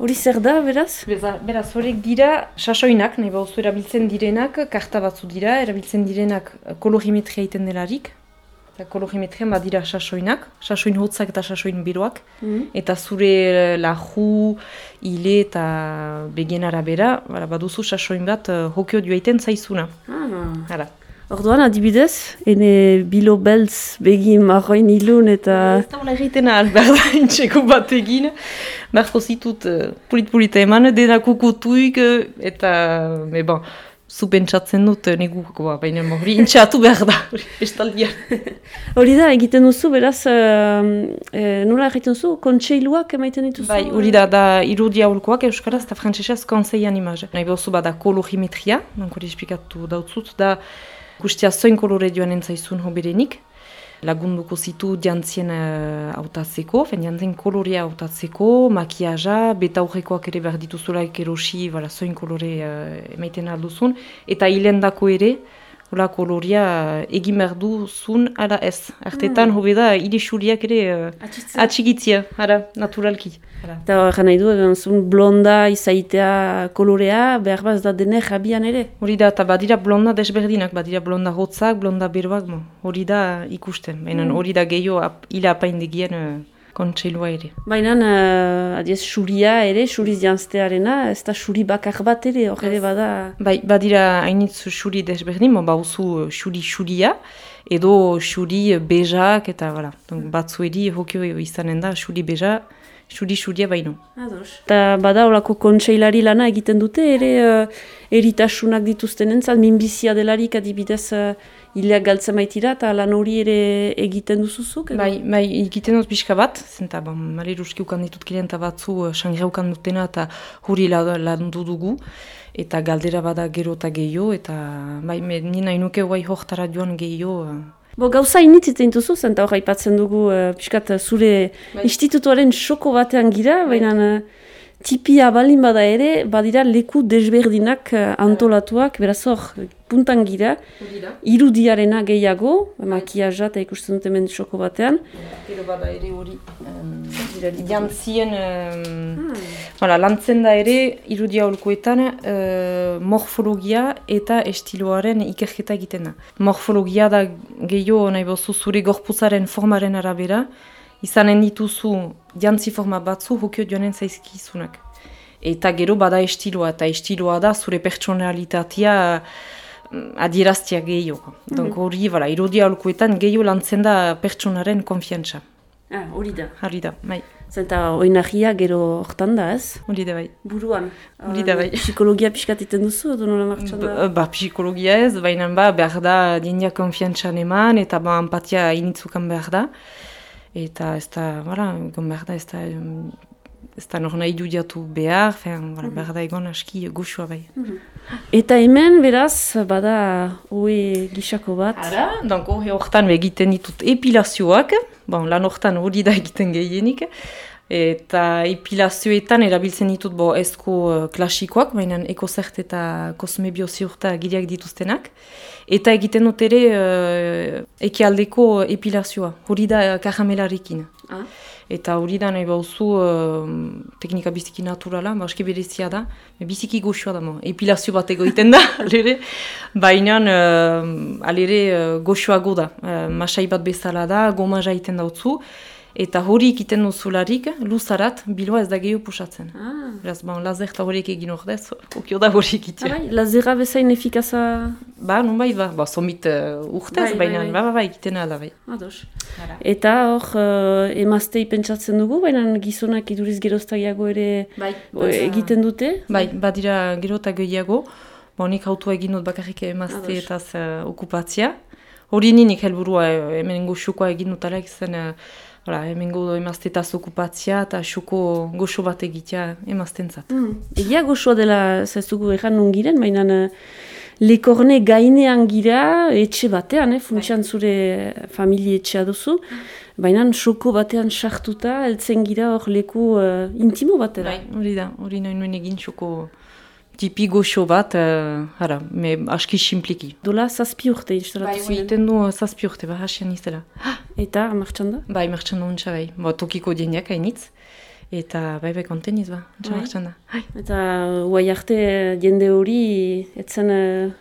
Hori zer da, beraz? Beraz, horiek dira sasoinak, nahi bauzu erabiltzen direnak, karta batzu dira, erabiltzen direnak kolorimetria egiten delarik. Kolorimetrian badira sasoinak, sasoin hotzak eta sasoin beroak, eta zure laju, hile eta begien arabera, baduzu sasoin bat hokio duaiten zaizuna. Hala. Orduan, adibidez, ene bilo beltz begi marroin ilun eta... Ez da hola egiten ahal, behar da, intxeko bat egin. Beharko zitut pulit-pulita eman, denak ukutuik, eta, bon, zu pentsatzen dut negukoa, baina hori intxatu behar da, bestaldian. Hori da, egiten duzu, beraz, nola egiten duzu, kontseiluak emaiten dituzu? Bai, hori da irudia aholkoak euskaraz eta frantsesez konseian imaz. Nahi behuzu bada kolorimetria, hori esplikatu dautzut, da guztia zoin kolore joan entzaizun hoberenik. Lagunduko zitu jantzien hautatzeko, jantzien kolorea hautatzeko, makiaja, beta aurrekoak ere behar dituzulaik erosi, zoin kolore emaiten alduzun, eta hilendako ere, hola kolorea egin behar duzun, ara ez. Artetan hobe da, hile xuriak ere atxigitzia, naturalki. Eta horren nahi du, zun blonda izaitea kolorea, behar baz da dene jabian ere? Hori da, eta badira blonda desberdinak, badira blonda hotzak, blonda beroak, hori da ikusten. Baina hori da gehiago hila apaindegien kontseilua ere. Baina, adiez, xuria ere, xuriz janztearena, ez da xuri bakar bat ere, hor ere bada... Bai, badira hainitz xuri desberdin, bauzu xuria, edo xuri bejak, eta batzueri hokio izanen da, xuri beja, xuria baino. Eta bada horako kontseilari lana egiten dute, ere eritasunak dituzten entzat, minbizia delarik adibidez hileak galtzen baitira, eta lan hori ere egiten duzuzuk? Bai, egiten dut pixka bat, zenta, maleruski ukan ditut klienta batzu, sangira ukan dutena, eta hori landu dugu, eta galdera bada gero eta gehiago, eta nina inuke guai hoktara joan gehiago. Gauza initz iten duzu, zenta hor aipatzen dugu piskat zure institutuaren xoko batean gira, baina tipia balin bada ere, badira leku desberdinak antolatuak, beraz hor puntan gira, irudiarena gehiago, makiaja eta ikusten dut hemen xoko batean. Gero bada ere hori, jantzien, lantzen da ere irudia holkoetan morfologia eta estiloaren ikerketa egiten da. Morfologia da gehiago nahi bozu zure gorputzaren formaren arabera, izanen dituzu jantzi forma batzu hokio joanen zaizkizunak. Eta gero bada estiloa, eta estiloa da zure pertsonalitatea adieraztia gehiago. Hori, irudia holkoetan gehiago lantzen da pertsonaren konfiantza. Hori da. Hori da, bai. Zenta oinahia gero hortan da, ez? Hori da, bai. Buruan. Hori da, bai. Psikologia pixkat iten duzu, edo nola martxan da? Psikologia ez, baina behar da diendia konfiantzan eman, eta empatia initzukan behar da. Eta ez da, egon behar da, ez da nor nahi dudiatu behar, behar da egon aski goxua bai. Eta hemen, beraz, bada hoe gixako bat? Donk horretan egiten ditut epilazioak, lan horretan hori da egiten gehienik, eta epilazioetan erabiltzen ditut ezko klasikoak, baina ekozert eta kosmebioziorta gileak dituztenak, eta egiten dut ere ekialdeko epilazioa, hori da karamelarekin. Eta hori da nahi bauzu teknika biziki naturala, aski berezia da, biziki goxua da, epilazio bat egoiten da, baina alere goxuago da, masai bat bezala da, goma jaiten dautzu, eta hori ikiten duzularik, luzarat, biloa ez da gehiago pusatzen. Beraz, lazer eta horiek egin ordez, okio da hori egitea. Lazera bezain efikaza? Nonbait, somit urtez, baina egiten da bai. Ados. Eta hor, emaztei pentsatzen dugu, baina gizonak iduriz geroztagiago ere egiten dute? Bai, badira gero eta gehiago. Nik hautua egin dut bakarrik emazte eta okupatzia. Hori ninik helburua, hemen goxukoa egin dut alek zen, hemen emaztetaz okupatzia eta xuko goxo bat egitea emaztentzat. Egia goxoa dela zaizugu egan nungiren, baina lekorne gainean gira, etxe batean, funtsian zure familie etxea duzu, baina xoko batean sartuta, heltzen gira hor leku intimo batera. Hori da, hori nahi nuen egin xoko tipi goxo bat, aski simpliki. Dola, 7 urte instalatu ziren? Egiten du 7 urte, hasian izela. Eta, martxan da? Martxan da untsa, tokiko diendiak hainitz. Eta bai konteniz ba, txamartxan da. Eta guai arte jende hori etzen...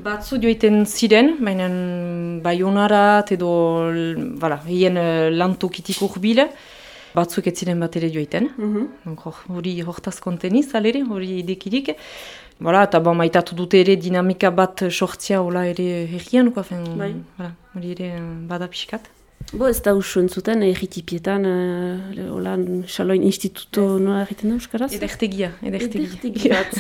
Batzu joiten ziren, baina Baionarat edo hien lantokitik urbil, batzuk ez ziren bat ere joiten. Hori hortaz konteniz, alere, hori idekirik. Eta maitatu dute ere dinamika bat sortzia hola ere herrian, hori ere bada pixkat. Ez da usu entzuten, erritipietan, Xaloin Instituto nola egiten da Euskaraz? Edertegia. bat.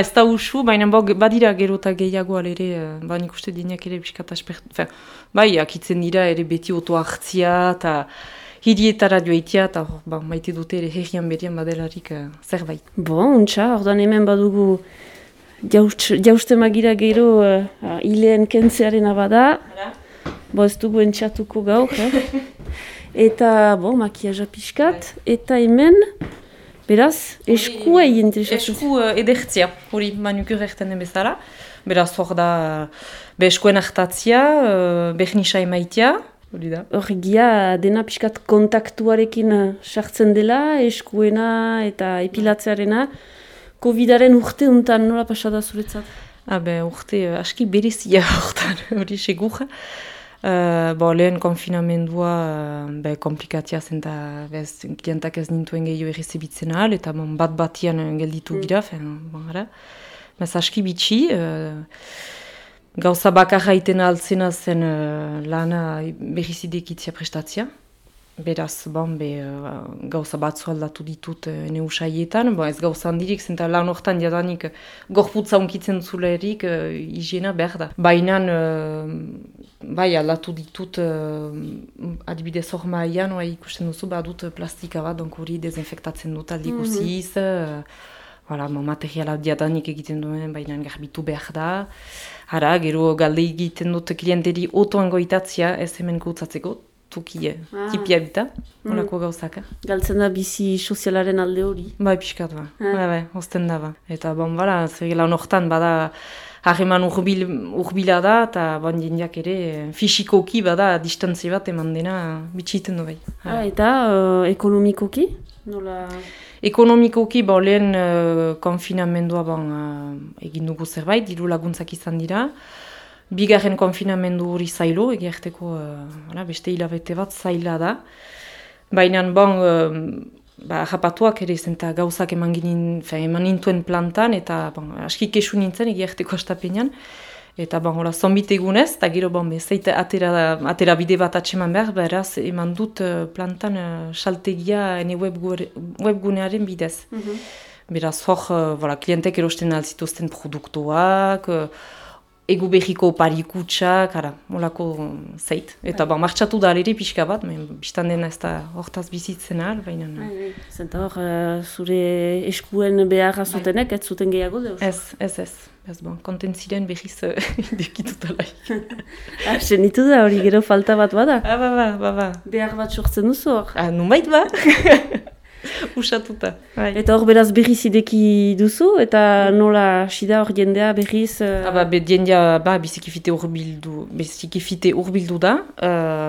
Ez da usu, baina badira gero eta gehiago alere, nik uste dinak ere pixkat aspertu. Akitzen dira ere beti oto hartzia, eta hirietara joaitia, eta maite dute ere herrian berian badelarik zerbait. Untxa, orduan hemen badugu jauste magira gero hileen kentzearen abada. Ez dugu entxatuko gaur, Eta, makiaja pixkat, eta hemen, beraz, eskua egin interesatzen. Esku edertzia, hori manukur erten den bezala. Beraz, hor da, eskuen hartatzia, behnisa emaitia, hori da. Horregia, dena pixkat kontaktuarekin sartzen dela, eskuena eta epilatzearena, COVID-aren urte untan nola pasada zuretzat? Urte aski berezia hortan, hori segura. Lehen konfinamendua komplikatia zen eta klientak ez nintuen gehiago errezibitzen ahal, eta bat-batian gelditu gira, aski bitxi, gauza bakarra iten altzena zen lana berrizidekitzia prestatzia. Beraz, gauza batzu aldatu ditut ene usaietan, ez gauza handirik, zenta lan hortan jadanik gorputza unkitzen zulerik higiena behar da. Baina, aldatu ditut adibidez hor maian, ikusten duzu, badut plastika bat, hori dezinfektatzen dut aldi guziz, materiala jadanik egiten duen, baina garbitu behar da. Gero galde egiten dut klienteri otoan goitatzia, ez hemen gautzatzeko, tipia bita, horako gauzaka. Galtzen da bizi sozialaren alde hori? Piskat osten da. Eta lan hortan bada harreman urbila da, eta jendeak ere fisikoki bada distantzi bat eman dena bitxiten du bai. Eta ekonomikoki? Ekonomikoki lehen konfinamendua egin dugu zerbait, diru laguntzak izan dira. Bigarren konfinamendu hori zailo, egiarteko beste hilabete bat zaila da. Baina, japatuak ere zen eta gauzak eman nintuen plantan, eta aski kesu nintzen egiarteko astapenean. Eta zonbit egunez, eta gero zeite atera bide bat atseman behar, beraz eman dut plantan saltegia ene webgunearen bidez. Beraz hor, klientek erosten alzituzten produktuak, egu behiko parikutsak, molako zeit. Eta martxatu da alere pixka bat, biztan dena ez da hortaz bizitzen ahal, baina... Zenta hor, zure eskuen beharra zutenek, ez zuten gehiago deus? Ez, konten ziren behiz dekitutala. Zenitu da hori gero falta bat bada? Ba. Behar bat sortzen duzu hor? Numait ba. Usatuta. Eta hor beraz berriz ideki duzu, eta nola sida hor jendea berriz... Jendea bizikifite urbildu da.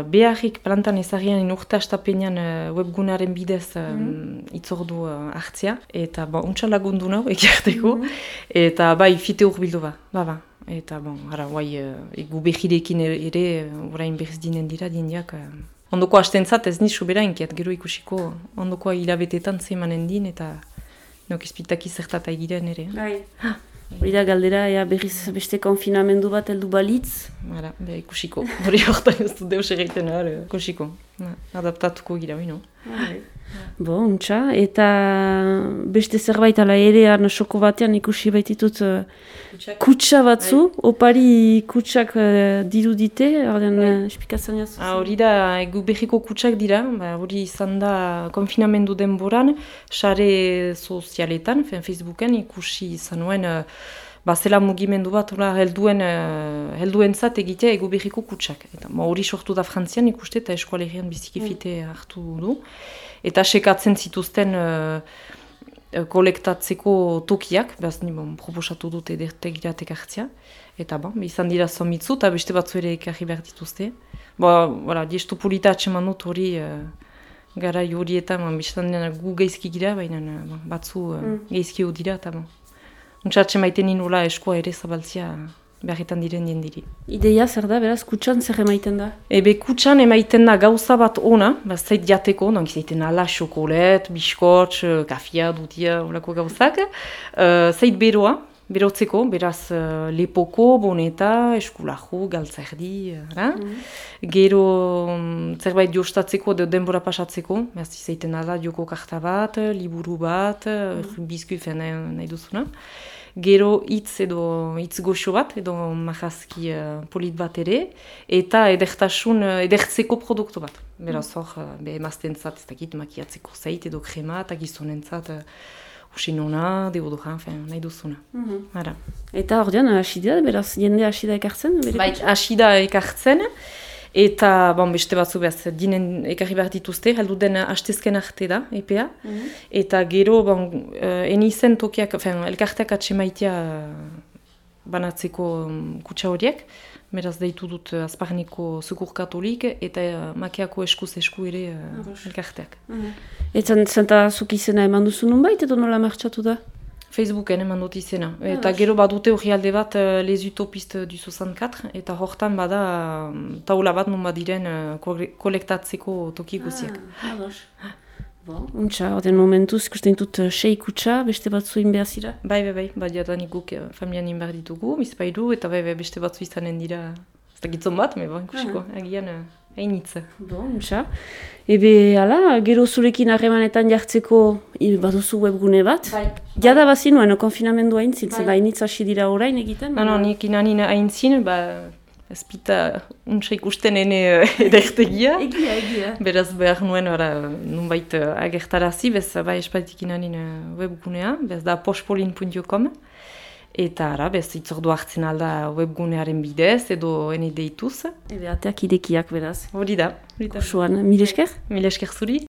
Beharrik plantan ezagian inurte astapenean webgunaren bidez itzordu hartzia. Eta untsa lagundu nahu egiarteko. Eta fite urbildu ba. Eta egu behirekin ere orain berriz dinen dira jendeak... Ondoko hastentzat ez nizu bera inkiat, gero ikusiko ondoko hilabetetan zemanen din eta nokizpitaki zertata egiren ere. Hori da galdera, berriz beste konfinamendu bat heldu balitz. Ikusiko, hori horretan ez du deus egiten, ikusiko. Adaptatuko gira, no? Untxa, eta beste zerbait ala ere soko batean ikusi baititut kutsa batzu, opari kutsak dirudite, espikatzen jazu? Hori da, egu behiko kutsak dira, hori izan da konfinamendu denboran, sare sozialetan, Facebooken ikusi izan nuen, zela mugimendu bat helduentzat egitea egu behiko kutsak. Hori sortu da Frantzian ikuste eta eskualerian bizikifite hartu du. Eta sekatzen zituzten kolektatzeko tokiak, proposatu dute edertegiratek hartzia. Eta izan dira zomitzu eta beste batzu ere ekarri behar dituzte. Diestu polita atseman dut hori gara horietan, biztan dena gu geizki gira, baina batzu geizki hau dira, eta untxatxe maiten ninola eskoa ere zabaltzia beharretan diren jendiri. Ideia zer da, beraz, kutsan zer emaiten da? Kutsan emaiten da gauza bat ona, zait jateko, zaiten ala, xokolet, biskotx, kafia, dutia, olako gauzak, zait beroa, berotzeko, beraz lepoko, boneta, eskulahu, galtzerdi, gero zerbait jostatzeko edo denbora pasatzeko, beraz zaiten ala, joko karta bat, liburu bat, bizkuit nahi duzuna. Gero hitz goxo bat, edo marrazki polit bat ere, eta edertzeko produktu bat. Beraz hor, emaztentzat, ez dakit, makiatzeko zait edo krema, eta gizonentzat usinona, deodoran, nahi duzuna. Eta hor dian, hasi da, beraz, jende hasi da ekartzen? Bai, hasi da ekartzen, eta beste batzu behaz, dinen ekarri behar dituzte, heldu den hastezken arte da, EPA, eta gero, enizen tokiak, elkarteak atsemaitea banatzeko kutsa horiek, beraz deitu dut azparniko Secours Katolik, eta makeako eskuz esku ere elkarteak. Eta zenta zuk izena eman duzu nunbait, edo nola martxatu da? Facebooken eman dut izena. Eta gero badute hori alde bat Les Utopistes du 64, eta hortan bada taula bat nun badiren kolektatzeko toki guziak. Untxa, ordean momentuz, ikusten dut 6 kutsa, beste batzu inbehazira? Bai, badiatanik guk familian inbar ditugu, bizpailu, eta beste batzu izanen dira, ez da gitzon bat, ikusiko, agian hainitza. Untxa. Hala, gero zurekin harremanetan jartzeko baduzu webgune bat? Bai. Jada bazinuen, konfinamendua haintzin, zela hainitza hasi dira orain egiten? Nik inanin haintzin, ezpita untsa ikusten ene edertegia. Egia. Beraz behar nuen nunbait agertarazi, bez espaitik inanin webgunea, bez da pospolin.com. Eta bez itzordu hartzen alda webgunearen bidez edo ene deituz. Ateak idekiak beraz. Hori da. Kosuan, mil esker? Mil esker zuri.